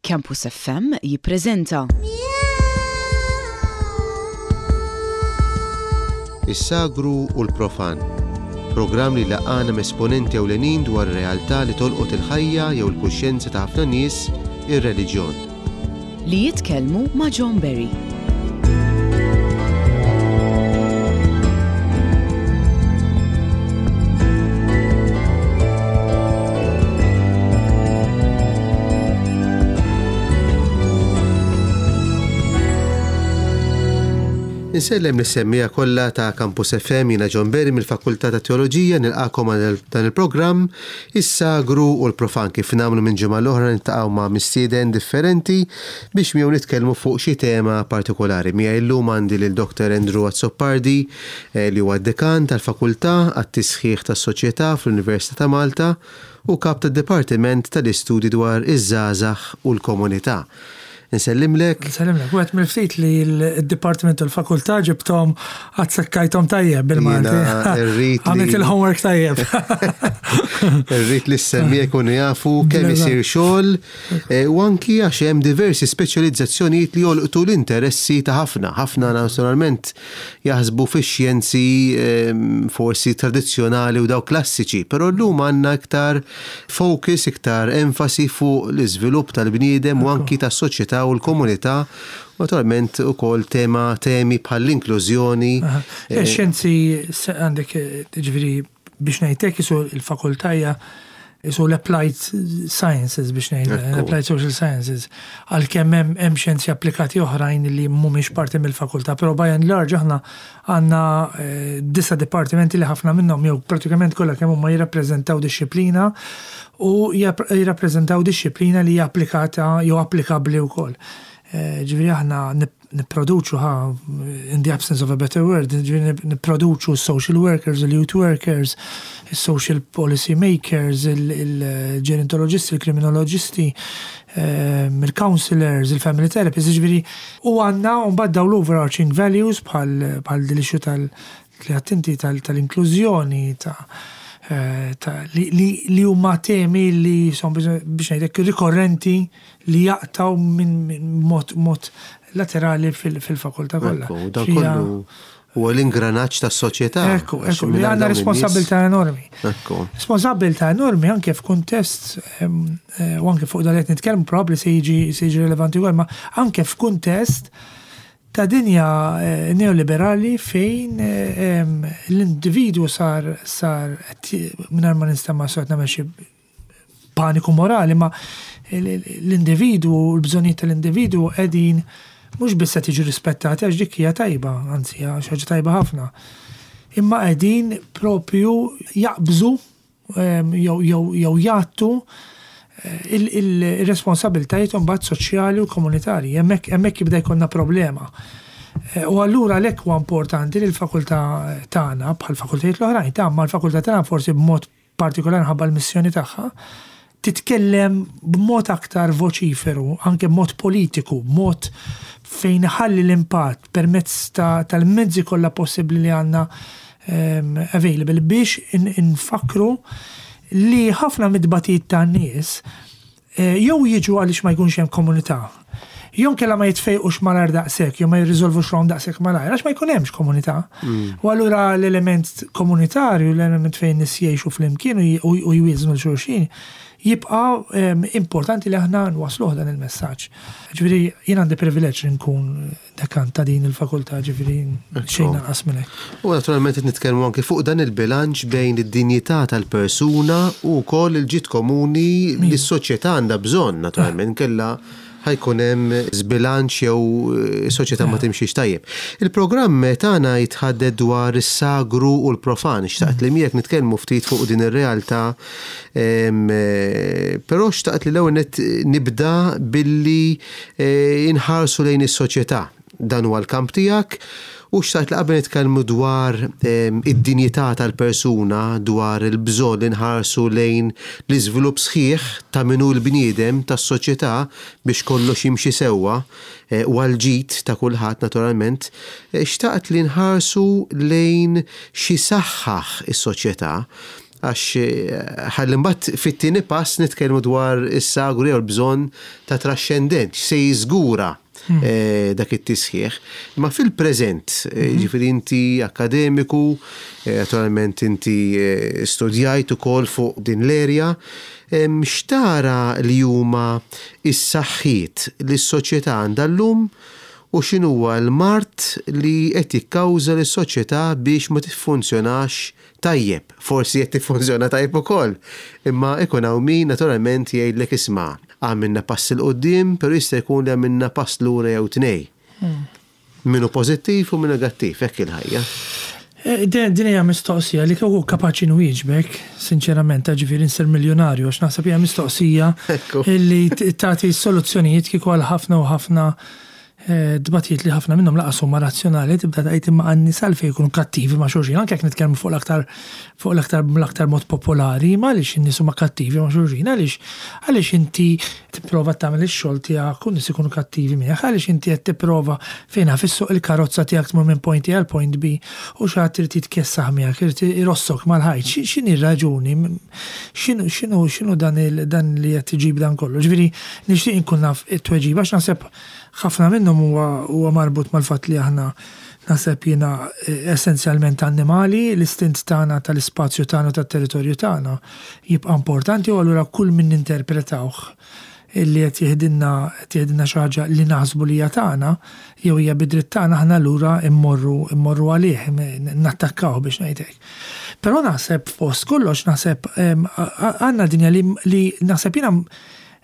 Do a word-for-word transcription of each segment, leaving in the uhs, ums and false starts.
Campus F M jippreżenta Is-Sagru u l-Profan. Programm li jlaqqagħna m'esponenti ewlenin dwar realtà li tolqot il-ħajja jew il-kuxjenza ta' ħafna nies, ir-reliġjon. Li jitkellmu ma' John Berry. Insellem lis-semmiegħa kollha ta' Campus F M, jiena John Berry mill-Fakultà ta' Teoloġija, nilqagħkom għal dan il-programm Is-Sagru u l-Profan. Kif nagħmlu minn ġimgħa l-oħra, niltaqgħu ma' mistieden differenti biex miegħu nitkellmu fuq xi tema partikolari. Miegħi llum għandi lil Doctor Andrew Azzopardi, eh, li huwa dekan tal-Fakultà għat-Tisħiħ tas-Soċjetà fl-Università ta' Malta u kap tad-Dipartiment tal-Istudji dwar iż-żgħażagħ u l-komunità. Nsellimlek. Nsellimlek, u għedt mill-ftit li l-Dipartiment u l-Fakultà ġibtom għazzekkajthom tajjeb bil-Malti. Jiena rrid li- Għamilt il-homework tajjeb. Irrid li s-semmiegħa jkunu jafu kemm isir xogħol, eh, u anki għax hemm diversi speċjalizzazzjonijiet li jolqtu l-interessi ta' ħafna. Ħafna naturalment jaħsbu fix-xjenzi ehm, forsi tradizzjonali u dawk klassiċi, però llum għandna iktar focus, iktar enfasi fuq l-iżvilupp tal-bniedem u anki tas-soċjetà u l-komunità. Naturalment ukoll tema temi bħall-inklużjoni. Eh, Xjenzi se- għandek, eh, ġifieri, biex ngħidlek isu il-fakultà hija isu l-applied sciences biex ngħid, Ekku. l-applied social sciences. Għalkemm hemm hemm xjenzi applikati oħrajn li mhumiex parti mill-fakultà, però by and large aħna għandna eh, disa dipartimenti li ħafna minnhom jew pratikament kollha kemm huma jirrappreżentaw dixxiplina u jirrap- jirrappreżentaw dixxiplina li hija applikata jew applikabbli wkoll. Eh, Ġifieri aħna nip- nipproduċu ħa, in the absence of a better word, ġifieri nip- nipproduċu social workers, il-youth workers, social policy makers, il-gerontologisti, il-kriminologisti, ehm, il-counselors, il-family therapists, ġifieri u għandna mbagħad daw l-overarching values bħal bħal dil-issue tal li attenti tal-inklużjoni, ta' eh, ta' li, li, li huma temi li son biex biex ngħidlek rikorrenti li jaqtaw minn min mod, mod laterali fil- fil-fakultà kollha. Ekku, dan Xija- kollu huwa l-ingranaġġ tas-soċjetà. Ekku, Għax ekku, li mingħajr għandna dawn in-nies- responsabilità enormi. Ekku. Responsabilità enormi anke f'kuntest, em, eh, u anke fuq dal qed nitkellmu probabbli se jiġi se jiġi relevanti wkoll, ma anke f'kuntest ta' dinja eh, neoliberali fejn eh, em, l-individwu sar sar qed- mingħajr ma nistema' sort nagħmel xi paniku morali, ma l-individwu, l-bżonijiet tal-individwu qegħdin mhux biss qed jiġu rispettati, għax dik hija tajba, anzi hija xi ħaġa tajba ħafna. Imma qegħdin propju jaqbżu em, jew jew jew jgħattu eh, il- il- il-responsabiltajiet mbagħad soċjali u komunitarji. Hemmhekk hemmhekk jibda jkollna problema. Eh, U allura għalhekk huwa importanti li l-fakultà tagħna bħal fakultajiet l-oħrajn ta' ma l-fakultà tagħna forsi b'mod partikolari ħabba l-missjoni tagħha titkellem b'mod aktar voċiferu, anke b'mod politiku, b'mod fejn ħalli l-impatt permezz ta' tal-mezzi kollha possibbli li għandna um, available biex in- infakru li ħafna mid-batijiet tan-nies eh, jew jiġu għaliex ma jkunx hemm komunità. Jew kella ma jitfejqux malajr daqshekk, jew ma jirriżolvux ruħhom daqshekk malajr, għax ma jkun hemmx komunità. U allura l-element komunitarju, l-element fejn nies jgħixu flimkien u j- u u jwieżnu 'l xulxin, jibqa' em, importanti li aħna nwasluh dan il-messaġġ. Ġifieri jien għandi privileġġ li nkun dekan ta' din il-fakultà, ġifieri xejn anqas minn hekk. U naturalment qed nitkellmu anke fuq dan il-bilanċ bejn id-dinjità tal-persuna u wkoll il-ġid komuni li s-soċjetà għandha bżonn, naturalment kella ħa jkun hemm żbilanċ jew eh, soċjetà ma timxiex tajjeb. Il-programm tagħna jitħaddet dwar is-sagru u l-profan. Xtaqt li miegħek nitkellmu ftit fuq din ir-realtà, em, eh, però xtaqt li l-ewwel nett nibda billi eh, inħarsu lejn is-soċjetà. Dan huwa l-kamp tiegħek u xtaqt li qabel nitkellmu dwar em, id-dinjità tal-persuna, dwar il-bżonn li nħarsu lejn l-iżvilupp sħiħ ta' min hu l-bniedem tas-soċjetà biex kollox jimxi sewwa eh, u għal-ġid ta' kulħadd naturalment, eh, xtaqt li nħarsu lejn xi saħħaħ is-soċjetà. Għax eh, ħalli mbagħad fit-tieni pass nitkellmu dwar is-sagru jew l-bżonn ta' traxxendent, se jiżgura hmm. eh, dak it-tisħiħ. Ma fil-preżent, eh, hmm. ġifieri inti akademiku, naturalment inti studjajt ukoll fuq din l-erja, x'tara li huma is-saħħiet li s-soċjetà għandha llum u x'inhuwa l-mard li qed jikkawża lis-soċjetà biex ma tiffunzjonax tajjeb? Forsi qed tiffunzjona tajjeb ukoll, imma ikun hawn min naturalment jgħidlek, "Isma', għamilna pass 'il quddiem, però jista' jkun li għamilna pass lura jew tnej." Hmm. Minnu pożittiv u minnu negattiv, hekk il-ħajja. Eh, din hija mistoqsija li kieku kapaċi nwieġbek, sinċerament, ġifieri nsir miljonarju, għax naħseb hija mistoqsija illi tagħti soluzzjonijiet kieku għal ħafna u ħafna eh, dbatijiet li ħafna minnhom lanqas huma razzjonali. Tibda tgħid, "Imma għan-nies għalfejn jkunu kattivi ma' xulxin?" Anke jekk nitkellmu fuq l-aktar fuq l-aktar l-aktar mod popolari, ma għaliex in-nies huma kattivi ma' xulxin? Għaliex għaliex inti tipprova tagħmel ix-xogħol tiegħek u nies ikunu kattivi miegħek? Għaliex inti qed tipprova fejn fissuq il-karozza tiegħek tmur minn point A għal point B u xi ħadd irid jitkessaħ miegħek, irid irossok mal-ħajt? X'inhi r-raġuni? X'inhu x'inhu x'inhu dan dan li qed iġib dan kollu? Ġifieri nixtieq inkun naf it-tweġiba, għax naħseb ħafna minnhom huwa marbut mal-fatt li aħna, naħseb jiena, eh, essenzjalment annimali, l-istint tagħna tal-ispazju tagħna, tat-territorju tagħna jibqa' importanti u allura kull min ninterpretawh illi qed jiħdilna qed jiħdilna xi ħaġa li naħsbu li hija tagħna jew hija bidritt tagħna, aħna lura immorru immorru għalih, nattakkaw, biex ngħidlek. Però naħseb fost kollox naħseb għandna dinja li, li naħseb jiena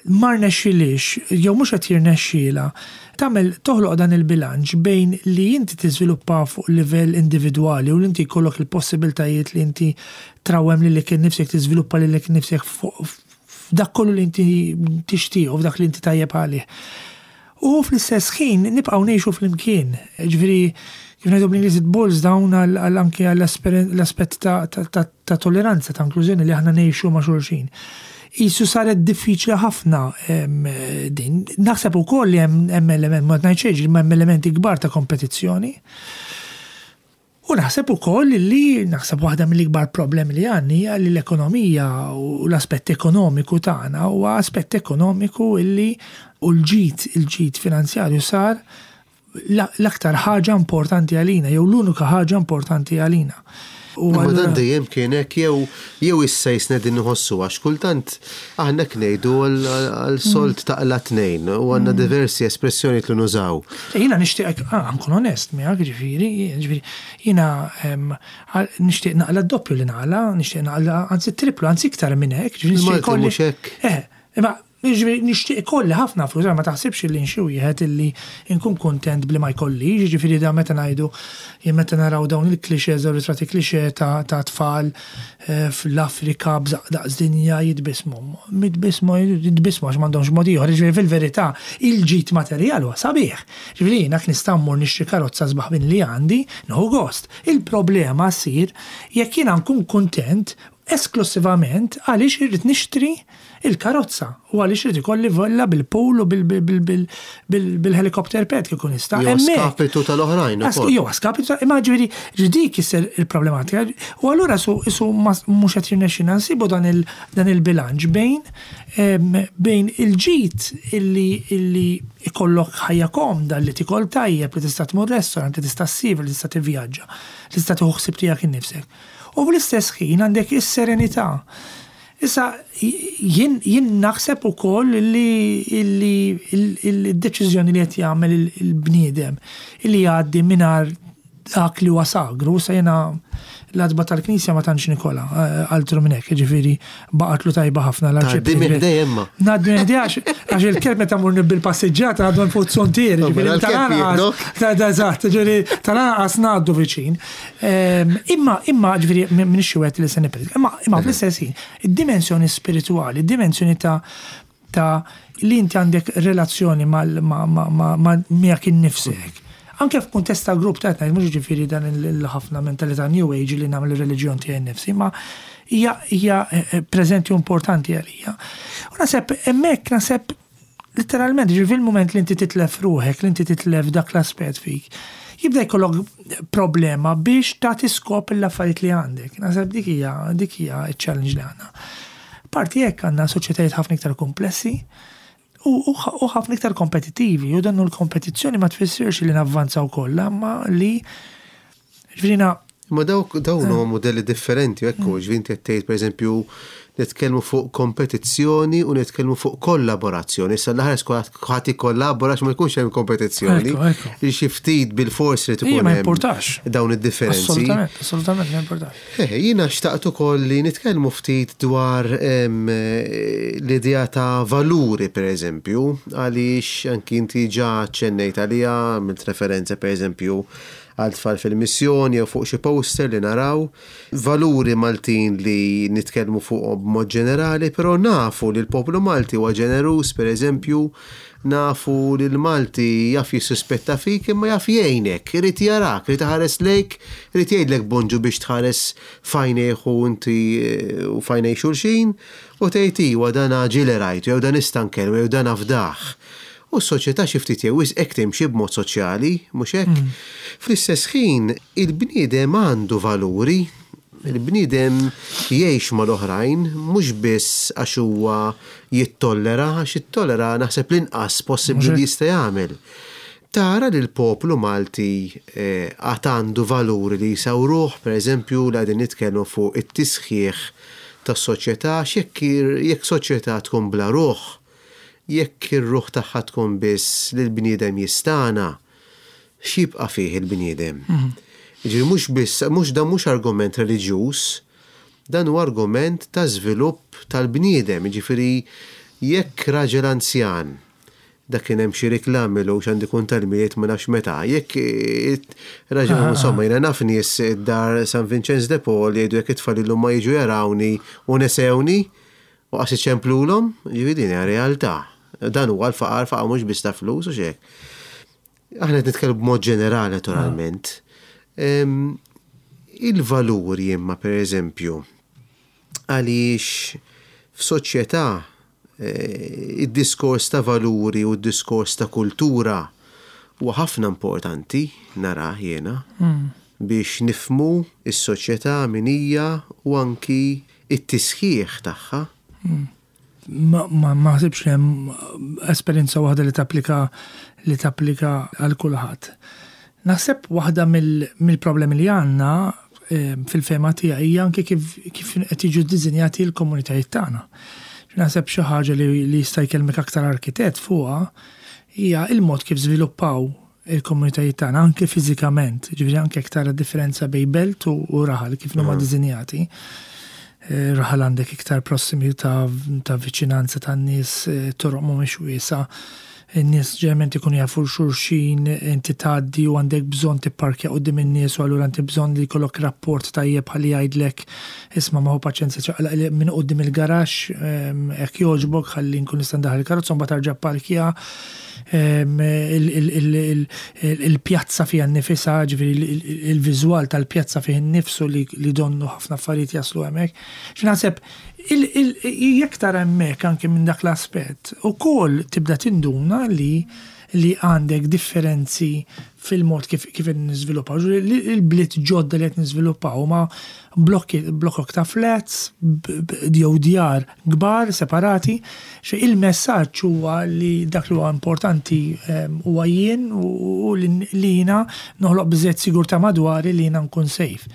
ma rnexxilix jew mhux qed jirnexxiela tagħmel toħloq dan il-bilanċ bejn li inti tiżviluppa fuq livell individwali u li inti jkollok il-possibiltajiet li inti trawwem lilek innifsek, tiżviluppa lilek innifsek f'dak kollu li inti tixtieq u f'dak li inti tajjeb għalih. U fl-istess ħin nibqgħu ngħixu flimkien. Ġifieri, kif ngħidu bl-Ingliż, it boils down għal anke għall-aspett ta' tolleranza, ta' inklużjoni, li aħna ngħixu ma' xulxin. Qisu saret diffiċli ħafna din. Naħseb ukoll li hemm element, ma ngħidx, ma hemm elementi kbar ta' kompetizzjoni. U naħseb ukoll li naħseb waħda mill-ikbar problemi li għandna hija li l-ekonomija u l-aspett ekonomiku tagħna huwa aspett ekonomiku illi u l-ġid il-ġid finanzjarju sar l-aktar ħaġa importanti għalina jew l-unika ħaġa importanti għalina. U ma dan dejjem kien hekk jew jew issa jisna din nħossu? Għax kultant aħna ngħidu għal sold taqla tnejn u għandna mm. diversi espressjoni li nużaw. Jiena nixtieq, ah, nkun onest miegħek, ġifieri, ġifieri jiena nixtieq naqla d-doppju li naqla, nixtieq naqla anzi triplu, anzi iktar minn hekk, ġifieri nixtieq hekk. Eh, imma ġifieri nixtieq ikolli ħafna flus, ma taħsibx li nxi wieħed illi nkun kontent bli ma jkollix. Ġifieri da meta ngħidu, jien meta naraw dawn il-clichés, dawn ritratti cliché ta' tfal eh, fl-Afrika b'daqs dinja jitbismu. Jitbismu, jitbismu għax m'għandhomx mod ieħor, ġifieri fil-verità il-ġid materjal huwa sabiħ. Ġifieri jiena nista' mmur nixtri karozza sbaħ minn li għandi, nieħu gost. Il-problema ssir jekk jiena nkun kontent esklusivament għaliex irrid nixtri il-karozza u għaliex irid ikolli villa bil-pool u bil-helicopter pad kieku nista'. Jew skapitu tal-oħrajn. Jew skapitu, imma ġifieri dik issir il-problematika. U allura su isu mhux qed jirnexxina nsibu dan il-bilanċ bejn bejn il-ġid illi illi ikollok ħajja komda, li tikol tajjeb, li tista' tmur restaurant, li tista' ssiefer, li tista' tivvjaġġa, li tista' tieħu ħsieb tiegħek innifsek. U fl-istess ħin għandek is-serenità. Issa, jien, jien naħseb ukoll li il-deċiżjoni li qed jagħmel il-bniedem illi jgħaddi mingħajr dak li huwa sagru, sa jiena l-għatba tal-Knisja ma tantx nikolha, eh, altru minn hekk, ġifieri baqatlu tajba ħafna. Tgħaddi minn ħdejja. Ngħaddi minn ħdejja għax il-kelb meta mur bil-passiġġata għadu fuq zontier, ġifieri tal-anqas, eżatt, ġifieri tal-anqas ngħaddu viċin. Ehm, imma imma ġifieri minn xi li se nippredik, imma imma fl-istess ħin, id-dimensjoni spirituali, id-dimensjoni ta' ta' li inti għandek relazzjoni ma' miegħek innifsek. Anke f'kuntest ta' grupp ta' mhux ġifieri dan il-ħafna mentalità New Age li nagħmel ir-reliġjon tiegħi nnifsi, ma hija hija eh, eh, preżenti u importanti għalija. U naħseb hemmhekk, naħseb literalment, ġifieri fil-mument li inti titlef ruħek, li inti titlef dak l-aspett fik, Jibda jkollok problema biex tagħti skop l-affarijiet li għandek. Naħseb dik hija dik hija ċ-challenge li għandna. Parti hekk għandna soċjetajiet ħafna iktar komplessi u u ħafna iktar kompetittivi, u dannu l-kompetizzjoni ma tfissirx li navvanzaw kollha, ma li ġifieri Ma dawk dawn huma modelli differenti, ekku, ġifieri inti qed tgħid, pereżempju, nitkellmu fuq kompetizzjoni u nitkellmu fuq kollaborazzjoni. Issa l-aħħar skola ħadd ikkollabora ma jkunx hemm kompetizzjoni. Ekku, ekku. Xi ftit bil-fors li Ija, tkun ma hemm importax. dawn id-differenzi. Assolutament, assolutament ma importax. Eh, jiena xtaqt ukoll li nitkellmu ftit dwar em, eh, l-idea ta' valuri, per eżempju, għaliex anki inti ġa ċennejt għalija, għamilt referenza, per eżempju, għal tfal fil-missjoni jew fuq xi poster li naraw, valuri Maltin li nitkellmu fuq b'mod ġenerali, però nafu li l-poplu Malti huwa ġeneruż, per eżempju, nafu li l-Malti jaf jissuspetta fik imma jaf jgħinek, irid jarak, irid iħares lejk, irid jgħidlek bonġu biex tħares f'għajnejh u inti eh, u f'għajnej xulxin u tgħid iwa dan ġieli rajtu jew dan nista' nkellmu jew dan nafdah. U s-soċjetà xi ftit jew wisq hekk timxi b'mod soċjali, mhux hekk? Fl-istess ħin il-bniedem għandu valuri, il-bniedem jgħix mal-oħrajn, mhux biss għax huwa jittollera, għax jittollera naħseb l-inqas possibbli li jista' jagħmel. Tara li l-poplu Malti eh, għad għandu valuri li jsawruh, per eżempju, li qegħdin nitkellmu fuq it-tisħiħ tas-soċjetà, x'jekk jekk soċjetà tkun bla ruħ, jekk ir-ruħ tagħha tkun biss li l-bniedem jistana, x'jibqa' fih il-bniedem? Ġifieri mhux biss, mhux dan mhux argument reliġjuż, dan huwa argument ta' żvilupp tal-bniedem. Ġifieri jekk raġel anzjan, dak kien hemm xi reklami lu x'għandi kun tal-Milied ma nafx meta, jekk eh, raġel, insomma, jiena naf nies id-dar San Vincenz de Paul jgħidu jekk it-tfal illum ma jiġu jarawni u nesewni u qas iċemplulhom, ġifieri din hija realtà. Dan huwa l-faqar, faqar mhux biss ta' flus u xek. Aħna qed nitkellmu b'mod ġenerali, naturalment. Em, Il-valuri imma, per eżempju, għaliex f'soċjetà eh, id-diskors ta' valuri u d-diskors ta' kultura huwa ħafna importanti nara jiena biex nifmu is-soċjetà min hija u anki it-tisħiħ tagħha. Ma ma ma ħsibx li hemm esperjenza waħda li tapplika li tapplika għal kulħadd. Naħseb waħda mill- mill-problemi li għandna eh, fil-fehma tiegħi hija anke kif kif qed jiġu ddisinjati l-komunitajiet tagħna. Naħseb xi ħaġa li, li jista' jkellmek aktar arkitett fuqha hija il-mod kif żviluppaw il-komunitajiet tagħna anke fiżikament, ġifieri anke aktar differenza bejn belt u, u raħal kif huma ddisinjati. Eh, Raħal għandek iktar prossimità ta' viċinanza tan-nies, eh, toroq mhumiex wiesa', in-nies ġeneralment ikunu jafu xulxin, inti tgħaddi u għandek bżonn tipparkja quddiem in-nies u allura inti bżonn li jkollok rapport tajjeb ħalli jgħidlek isma' ma hu paċenzja ċaqlaq minn quddiem il-garaxx, ehm, hekk jogħġbok ħalli nkun nista' ndaħħal il-karozza mbagħad tarġa' parkja. Ehm, il- il- il- il- il- il-pjazza fiha nnifisha, ġifieri il- il- il-viżwal tal-pjazza fih innifsu li li donnu ħafna affarijiet jaslu hemmhekk. X'naħseb il- il- jekk tara hemmhekk anke minn dak l-aspett, ukoll tibda tinduna li li għandek differenzi fil-mod kif kif qed niżviluppaw. Ġifieri li- Il-bliet ġodda li qed niżviluppaw ma blokki blokok ta' flats, b- b- jew djar kbar separati. Xe il-messaġġ huwa li dak li huwa importanti em, huwa jien u u li li jiena noħloq biżejjed sigurtà madwari li jiena nkun safe.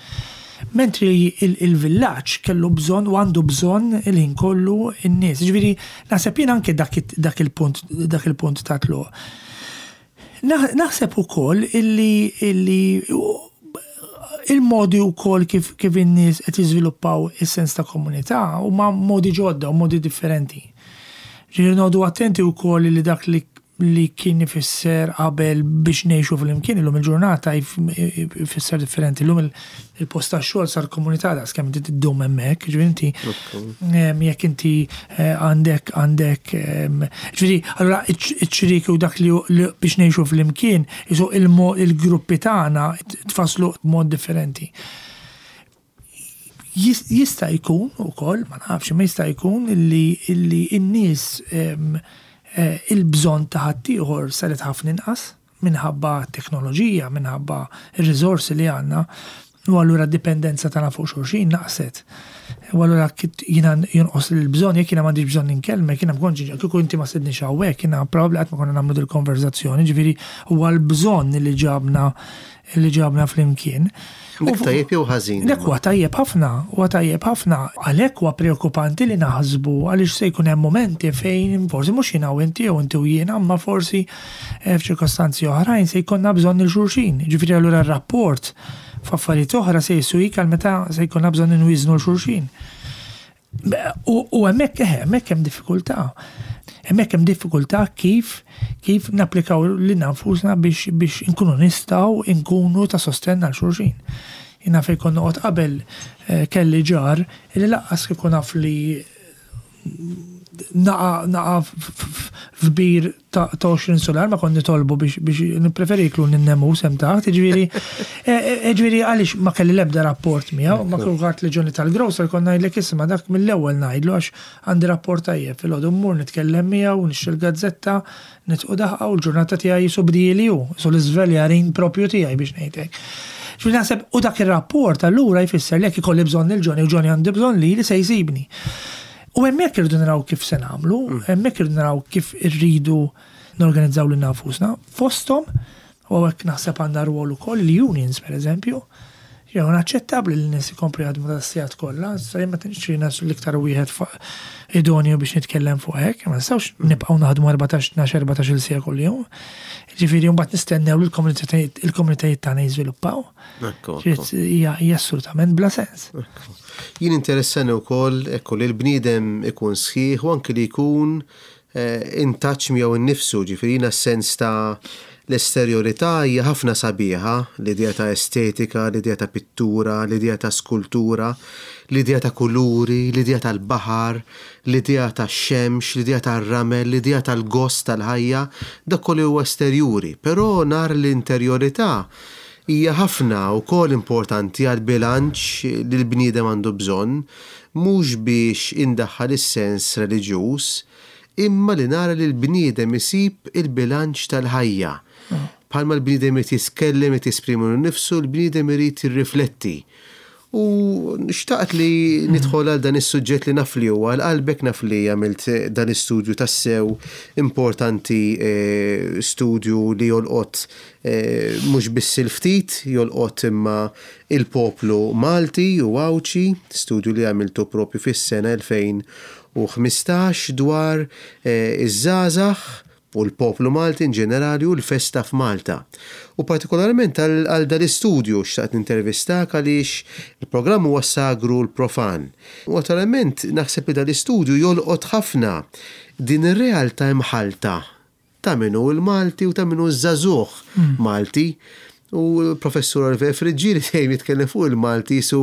Mentri il-villaġġ kellu bżonn u għandu bżonn il-ħin kollu n-nies. Ġifieri naħseb jien anke dak it- dak il-punt dak il-punt ta' tluq. Naħ- Naħseb ukoll illi illi il-modi wkoll kif kif in-nies qed jiżviluppaw is-sens ta' komunità huma modi ġodda u modi differenti. Ġifieri noqogħdu attenti wkoll li dak li li kien ifisser qabel biex ngħixu flimkien illum il-ġurnata jif- jfisser differenti. Illum il- il-post tax-xogħol sar komunità daqs kemm inti tiddum hemmhekk, ġifieri inti em, jekk inti eh, għandek għandek em, ġifieri allura iċ-ċriki u dak li li biex ngħixu flimkien isu il-mo- il-gruppi tagħna tfasslu b'mod differenti. Jis- Jista' jkun ukoll, ma nafx, ma jista' jkun illi illi n-nies em, eh, il-bżonn ta' ħaddieħor saret ħafna inqas. minħabba teknoloġija, minħabba ir-riżorsi li għandna, u allura d-dipendenza tagħna fuq xulxin naqset. U allura jiena jonqos l-bżonn, jekk jiena m'għandix bżonn inkellmek, jiena bkonġi, kieku inti ma stedintnix hawnhekk, jiena probabbli qatt ma konna nagħmlu dil-konverzazzjoni, ġifieri huwa l-bżonn li ġabna li ġabna flimkien. Dak tajjeb jew ħażin? Dak huwa tajjeb ħafna, huwa tajjeb ħafna. Għalhekk huwa preokkupanti li naħsbu għaliex se jkun hemm momenti fejn forsi mhux jiena u inti jew inti u jiena, imma forsi eh, f'ċirkostanzi oħrajn se jkollna bżonn lil xulxin. Ġifieri allura r-rapport f'affarijiet oħra se jiswik għal meta se jkollna bżonn inwiżnu lil xulxin. U hemmhekk eh, hemmhekk hemm diffikultà. Hemmhekk hemm diffikultà kif kif napplikaw lilna nfusna biex biex inkunu nistgħu inkunu ta' sostenn għal xulxin. Jiena fejn kont noqgħod qabel eh, kelli ġar li lanqas kieku naf li naqa naqa f'bir ta' għoxrin solar ma kont nitolbu biex biex nippreferi jiekluni n-nemus hemm taħt, ġifieri e, e, ġifieri għaliex ma kelli l-ebda rapport miegħu, ma kulħadd li Johnny tal-grocer kont ngħidlek isma' dak mill-ewwel ngħidlu għax għandi rapport tajjeb filgħodu mmur nitkellem miegħu, nixtri l-gazzetta, nidħku daħqa u l-ġurnata tiegħi jisu bdieli hu, jisu l-iżveljarin propju tiegħi biex ngħidlek. Ġifieri naħseb u dak ir-rapport allura jfisser li jekk ikolli bżonn lil Johnny u Johnny għandi bżonn li li se jsibni. U hemmhekk irridu naraw kif se nagħmlu, hemmhekk irridu naraw kif irridu norganizzaw lilna nfusna. Fosthom, u hekk naħseb għandna rwol ukoll l-unions pereżempju, jew naċċettabbli li n-nies ikomplu jaħdmu tas-sigħat kollha, sa jien ma tantx jiena l-iktar wieħed idonju biex nitkellem fuq hekk, ma nistgħux nibqgħu naħdmu erbatax, tnax, erbatax-il siegħa kuljum. Ġifieri mbagħad nistennew li l-komunitajiet tagħna jiżviluppaw. Hija assolutament bla sens. Jien interessani wkoll ekku li l-bniedem ikun sħiħ u anki li jkun in touch miegħu nnifsu, ġifieri jiena s-sens ta' l-esterjorità hija ħafna sabiħa, l-idea ta' estetika, l-idea ta' pittura, l-idea ta' skultura, l-idea ta' kuluri, l-idea tal-baħar, l-idea ta' xemx, l-idea tar-ramel, l-idea tal-gost tal-ħajja, dak kollu huwa esterjuri, però nar l-interjorità hija ħafna wkoll importanti għal bilanċ li l-bniedem għandu bżonn, mhux biex indaħħal is-sens reliġjuż, imma li nara li l-bniedem isib il-bilanċ tal-ħajja. Bħalma l-bniedem irid jitkellem, irid jesprimi nifsu, l-bniedem irid jirrifletti. U xtaqt li nidħol għal dan is-suġġett li naf li huwa għal qalbek, naf li għamilt dan istudju tassew importanti, studju li jolqot mhux biss il-ftit, jolqot imma il-poplu Malti u Għawdxi, studju li għamiltu propju fis-sena elfejn u ħmistax dwar iż-żgħażagħ u l-poplu Malti in ġenerali u l-festa f'Malta. U partikolarment għal dan l-istudju xtaqt nintervistak għaliex il-programm huwa sagru l-profan. U naturalment naħseb li dan l-istudju jolqot ħafna din ir-realtà imħalta ta' min hu l-Malti u ta' min hu ż-żagħżugħ Malti. U l-professur Oliver Friggieri dejjem jitkellem fuq il-Malti su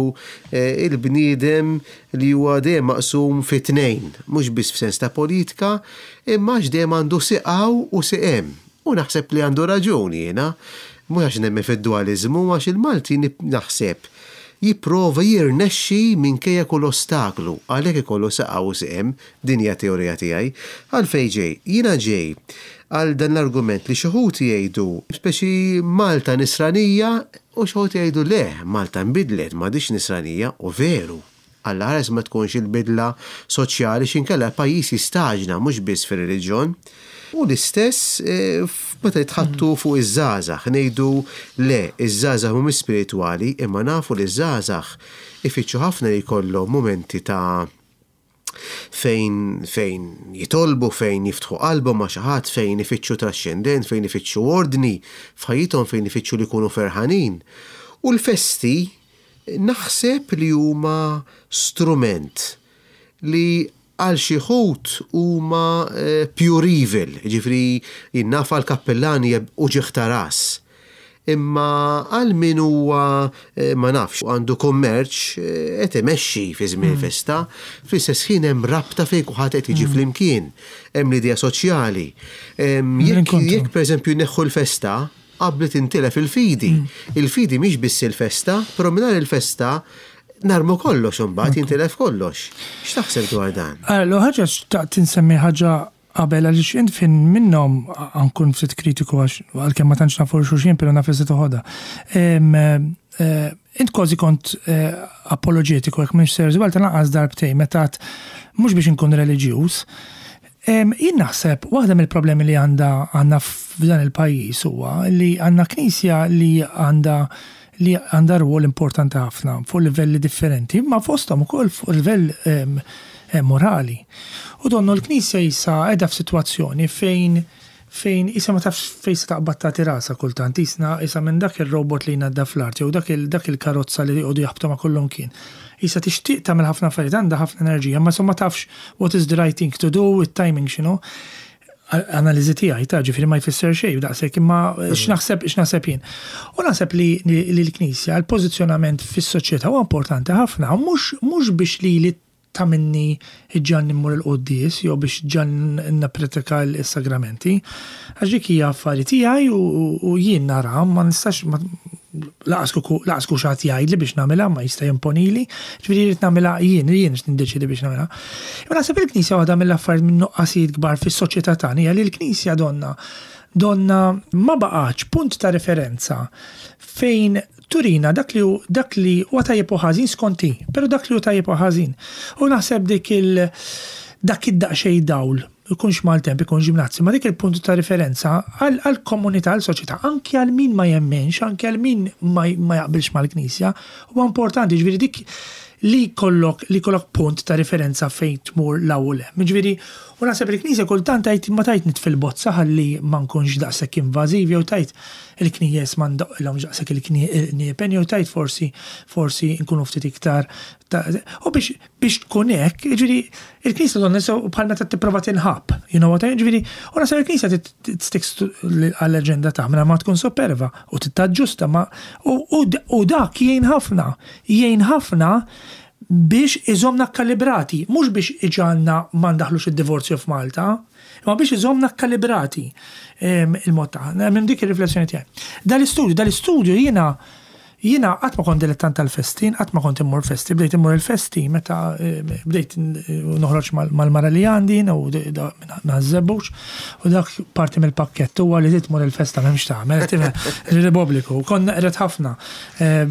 il-bniedem li huwa dejjem maqsum fi tnejn, mhux biss f'sens ta' politika, imma għax dejjem għandu sieq hawn u sieq hemm. U naħseb li għandu raġuni jiena, mhux għax nemmen fid-dualiżmu, għax il-Malti naħseb jipprova jirnexxi minkejja kull ostaklu, għalhekk ikollu sieq hawn u sieq hemm, din hija teorija tiegħi. Għalfejn ġej, jiena ġej għal dan l-argument li xi wħud jgħidu, speċi Malta nisranija, u xi wħud jgħidu le, Malta nbidlet, m'għadix nisranija, u veru. Alla ħares ma tkunx il-bidla soċjali x'inkella pajjiż jistaġna mhux biss fir-reliġjon. U l-istess meta jitħattu fuq iż-żgħażagħ, ngħidu le, iż-żgħażagħ mhumiex spiritwali, imma nafu li ż-żgħażagħ ifittxu ħafna li jkollhom momenti ta' fejn, fejn jitolbu, fejn jiftħu qalbhom ma' xi ħadd, fejn ifittxu traxxendent, fejn ifittxu ordni f'ħajjithom, fejn ifittxu li jkunu ferħanin. U l-festi naħseb li huma strument li għal xi wħud huma pure evil, ġifieri jien naf għal kappellani u ġieħ ta' ras. Imma għal min huwa ma nafx għandu kummerċ qed imexxi fi żmien il-festa, fl-istess ħin hemm rabta fejn kulħadd qed jiġi flimkien, hemm l-idea soċjali. Jekk jekk pereżempju neħħu l-festa, qabli tintilef il-fidi. Il-fidi mhix biss il-festa, però mingħajr il-festa narmu kollox imbagħad jintilef kollox. X'taħseb dwar dan? Allora, ħaġa xtaqt insemmi ħaġa qabel, għaliex int fin minnhom nkun ftit kritiku, għax għalkemm ma tantx nafu xulxin, però naf li se toħodha. Eh, int kważi kont eh, apologetiku, jekk mhux sejjer żball, tal-anqas darbtejn meta mhux biex inkun reliġjuż. Jien naħseb waħda mill-problemi li għandha għandna f'dan il-pajjiż huwa li għandna knisja li għandha li għandha rwol importanti ħafna fuq livelli differenti, ma fosthom ukoll fuq livell morali. U donnu l-knisja issa qiegħda f'sitwazzjoni fejn fejn issa ma tafx fejn se taqbad tagħti rasha kultant, isna issa minn dak il-robot li jnaddaf l-art jew dak dak il-karozza li jqogħdu jaħbtu ma' kullum kien. Issa tixtieq tagħmel ħafna affarijiet, għandha ħafna enerġija, ma ma tafx what is the right thing to do, it-timing x'inhu. Analiżi tiegħi ta', ġifieri ma jfisser xejn daqshekk, imma x'naħseb x'naħseb jien. U naħseb li l-Knisja, l-pożizzjonament fis-soċjetà huwa importanti ħafna, mhux mhux biex li li ta' minni ġan immur il-quddies jew biex ġan nappretika l-sagramenti. Għax dik hija affari tiegħi u jien nara ma nistax laqas ku xi ħadd jgħidli biex nagħmilha, ma jista' jimponili, ġifieri jrid nagħmilha jien, jien niddeċidi biex nagħmilha. Imma naħseb il-Knisja, waħda mill-affarijiet, minn nuqqasijiet kbar fis-soċjetà tagħna hija li l-Knisja donna donna ma baqax punt ta' referenza fejn turina dak li dak li huwa tajjeb u ħażin skonti, però dak li huwa tajjeb u ħażin. U naħseb dik il dak id-daqsxejn dawl, ikunx maltemp, ikunx ġimnazzi, ma dik il-punt ta' referenza għal-komunità, għal-soċjetà, anki għal min ma jemmenx, anki għal min ma jaqbilx mal-Knisja, huwa importanti, ġifieri dik li kollok li kollok punt ta' referenza fejn tmur l-ewwel. Ġifieri, u naħseb il-Knisja kultant tajt ma tajt nitfi l-bozza ħalli ma nkunx daqshekk invażiv, jew tajt il-knijjes ma ndoqqilhomx daqshekk il-kniepen, jew tajt forsi forsi nkunu ftit iktar. U biex biex tkun hekk, ġifieri il-Knisja donna bħal meta tipprova tinħab, you know what I mean? Ġifieri, u naħseb il-Knisja sticks għall-aġenda tagħha ma tkun superva u tittaġġusta ma u dak jgħin ħafna, jgħin ħafna biex iżomna kalibrati, mhux biex iġagħalna ma ndaħlux id-divorzju f'Malta, imma biex iżomna kalibrati il-mod tagħna. Minn dik ir-riflessjoni tiegħi. Dal-istudju, dal-istudju jiena jiena qatt ma kont dilettant tal-festi, qatt ma kont immur festi, bdejt immur il-festi meta bdejt noħroġ mal-mara li għandi u nażżebbux, u dak parti mill-pakkett huwa li tmur il-festa, m'hemmx tagħmel, Repubbliku. Konna qret ħafna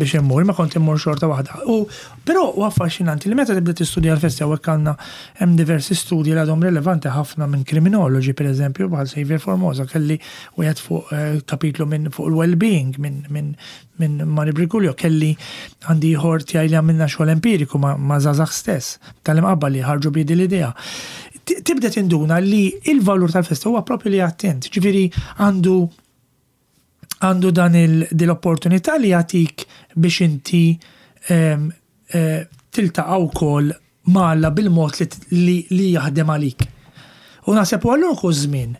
biex immur, ma kont immur xorta waħda. U però huwa affaxxinanti li meta tibda tistudja l-festi, hawnhekk għandna hemm diversi studji li għadhom rilevanti ħafna minn kriminologi, pereżempju, bħal Xavier Formosa, kelli wieħed fuq kapitlu minn fuq il-well-being minn minn minn Mari Briguglio, kelli għandi ieħor tiegħi li għamilna xogħol empiriku ma', ma żgħażagħ stess tal-Imqabba li ħarġu bidi l-idea. Tibda tinduna li il-valur tal-festa huwa propju li attent, ġifieri għandu għandu dan l-opportunità li jagħtik biex inti tiltaqa' wkoll ma' Alla bil-mod li, li jaħdem għalik. U naħseb u għallur żmien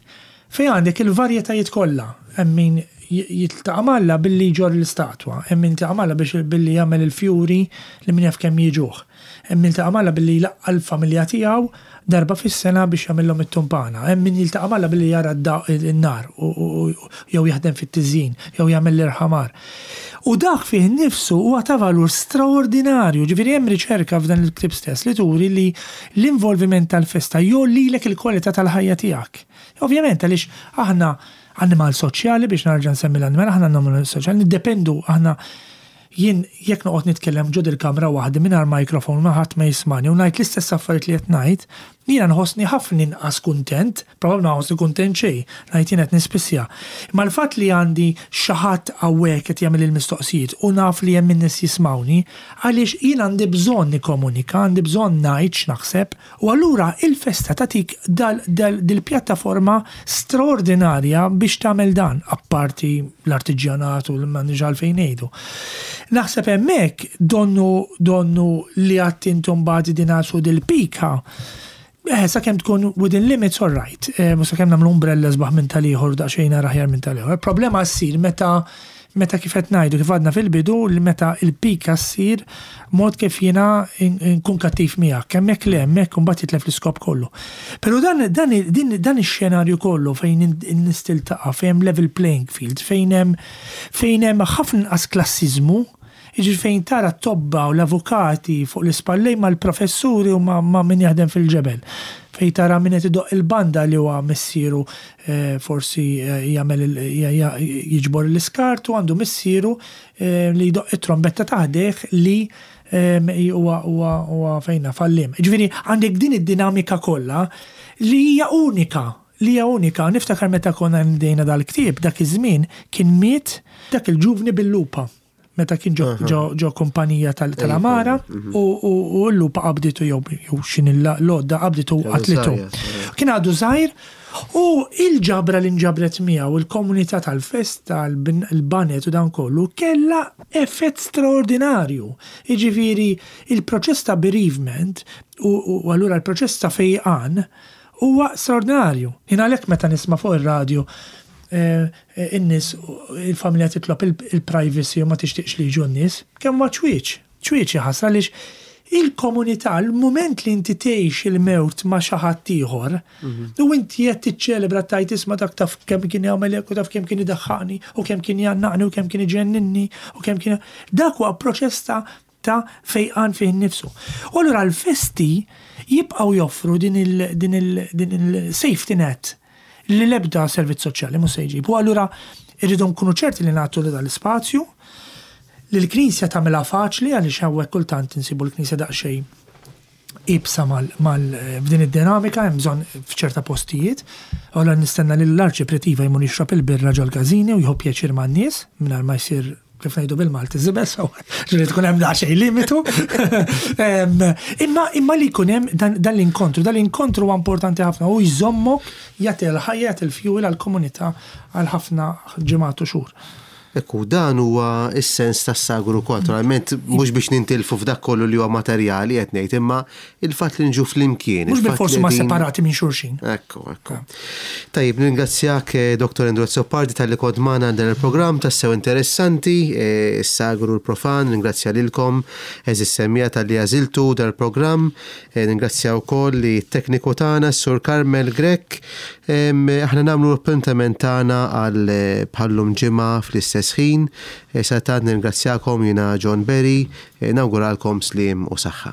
fejn għandek il-varjetajiet kollha, hemm min jiltaqa' m'Alla billi jġorr l-istatwa, hemm min jiltaqa' m'Alla biex billi jagħmel il-fjuri li min jaf kemm jiġuh. Hemm min jiltaqa' m'Alla billi jlaqqa' l-familja tiegħu darba fis-sena biex jagħmilhom it-tumpana. Hemm min jiltaqa' m'Alla billi jara n-nar jew jaħdem fit-tiżjin jew jagħmel l-irħamar. U dak fih nifsu huwa ta' valur straordinarju. Ġifieri hemm riċerka f'dan il-ktieb stess li turi li l-involviment tal-festa jgħollilek il-kwalità tal-ħajja tiegħek. Ovvjament għaliex aħna annimal soċjali, biex narġa' nsemmi l-annimal, aħna annimal soċjali, niddependu aħna. Jien jekk noqgħod nitkellem ġo il-kamra waħdi mingħajr mikrofon, ma ħadd ma jismani, u ngħid l-istess affarijiet li qed ngħid, jiena nħossni ħafna inqas kuntent, probabbli ma nħossni kuntent xejn, ngħid jien qed nispissja. Imma l-fatt li għandi xi ħadd hawnhekk qed jagħmel il-mistoqsijiet u naf li hemm in-nies jismawni, għaliex jien għandi bżonn nikkomunika, għandi bżonn ngħid x'naħseb, u allura il-festa tagħtik dil-pjattaforma straordinarja biex tagħmel dan, apparti l-artiġjanat u l-m'għandniex għalfejn ngħidu. Naħseb hemmhekk donnu donnu li għadt intom badi din su dil-pika. Eh, sa kemm tkun within limits, all right. Eh, sa kemm nagħmlu umbrella sbaħ minn tal-ieħor, daqsxejn aħjar minn tal-ieħor. Problema ssir meta meta kif qed ngħidu, kif għadna fil-bidu, li meta il-pika ssir mod kif jiena nkun kattiv miegħek. Hemmhekk le, hemmhekk imbagħad jitlef l-iskop kollu. Però dan dan din dan ix-xenarju kollu fejn in-nies tiltaqa', fejn hemm level playing field, fejn hemm fejn hemm ħafna inqas klassiżmu. Jiġifieri fejn tara t-tobba u l-avukati fuq l-ispallej mal-professuri u ma' ma' min jaħdem fil-ġebel. Fejn tara min qed idoqq il-banda li huwa missieru eh, forsi eh, jagħmel il- ja- ja- jiġbor l-iskart u għandu missieru eh, li jdoqq it-trombetta ta' ħdejh li em, huwa huwa huwa fejna fallim. Ġifieri għandek din id-dinamika kollha li hija unika li hija unika. Niftakar meta konna ndejna dal-ktieb, dak iż-żmien kien miet dak il-ġuvni bil-lupa. Meta kien ġo, ġo, ġo kumpanija tal- tal-Amara u, u, u l-lupa qabditu jew jew x'in l-għodda qabditu Għadu qatlitu. żgħir, Kien għadu żgħir u il-ġabra li nġabret miegħu il-komunità tal-festa, il-banet u dan kollu kella effett straordinarju. Jiġifieri il-proċess ta' bereavement u, u u allura il-proċess ta' fejqan huwa straordinarju. Jien għalhekk meta nisma' fuq ir-radju eh, eh, in-nies il-familja titlob il- il-privacy u ma tixtieqx li jiġu n-nies, kemm huwa ċwieċ. Ċwieċ ħasra għaliex il-komunità, il-moment li inti tgħix il-mewt ma' xi ħadd ieħor, u inti qed tiċċelebra tajt isma' dak taf kemm kien jagħmel hekk u taf kemm kien idaħħaqni u kemm kien jgħannaqni u kemm kien iġenninni u kemm kien dak huwa proċess ta' ta' fejqan fih innifsu. U allura l-festi jibqgħu joffru din il- din il- din il-safety net li l-ebda servizz soċjali mhux se jġib. U allura irridu nkunu ċerti li nagħtu li dal-ispazju, li l-Knisja tagħmilha faċli għaliex hawnhekk kultant insibu l-Knisja daqsxejn ibsa mal, mal f'din id-dinamika hemm bżonn f'ċerta postijiet. Allura nistenna li l-arċipriet iva jmur jixrob il-birra ġol-każini u jieħu pjaċir man-nies mingħajr ma jsir kif ngħidu bil-Malti żibel, ġifieri tkun hemm daqsxejn limitu. Em, Imma imma li jkun hemm dan dan l-inkontru, dan l-inkontru huwa importanti ħafna u jżommok jagħti l-ħajja jagħti l-fuel għall-komunità għal ħafna ġimgħat u xhur. Ekku, dan huwa is-sens tas-sagru wkoll, naturalment mhux biex nintilfu f'dak kollu li huwa materjali qed ngħid, imma il-fatt li nġu flimkien. Mhux il-fatt bil-forsi li ma qegħdin- separati minn xulxin. Ekku, ekku. Tajib, ningrazzjak eh, Dottor Andrew Azzopardi talli kont magħna dan il-programm tassew interessanti, eh, is-sagru l-profan, ningrazzja lilkom, għeżież semmiegħa talli għażiltu dan il-programm, eh, ningrazzja wkoll li tekniku tagħna, Sur Carmel Grech, Em, aħna nagħmlu l-appuntament tagħna għal eh, bħallum ġimgħa fl-istess ħin, Eh, sadanittant ningrazzjakom jiena John Berry, eh, nawguralkom sliem u saħħa.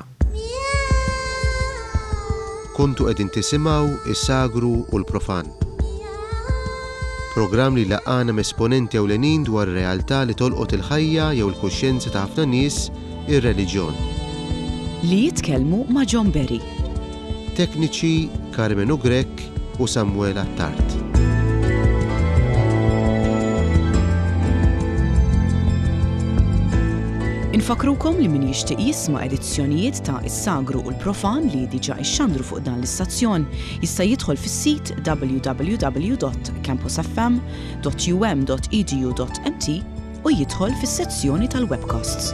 Kontu qegħdin tisimgħu is-sagru u l-profan. Programm li laqqagħna esponenti ewlenin dwar realtà li tolqot il-ħajja jew il-kuxjenza ta' ħafna nies, ir-reliġjon. Li jitkellmu ma' John Berry. Tekniċi Carmenu Grech u Samuel Attard. Infakrukom li min jixtieq jisma' edizzjonijiet ta' Is-Sagru u l-Profan li diġà ixxandru fuq dan l-istazzjon jista' jidħol fis-sit w w w dot campusfm dot u m dot e d u dot m t u jidħol fis-sezzjoni tal-webcasts.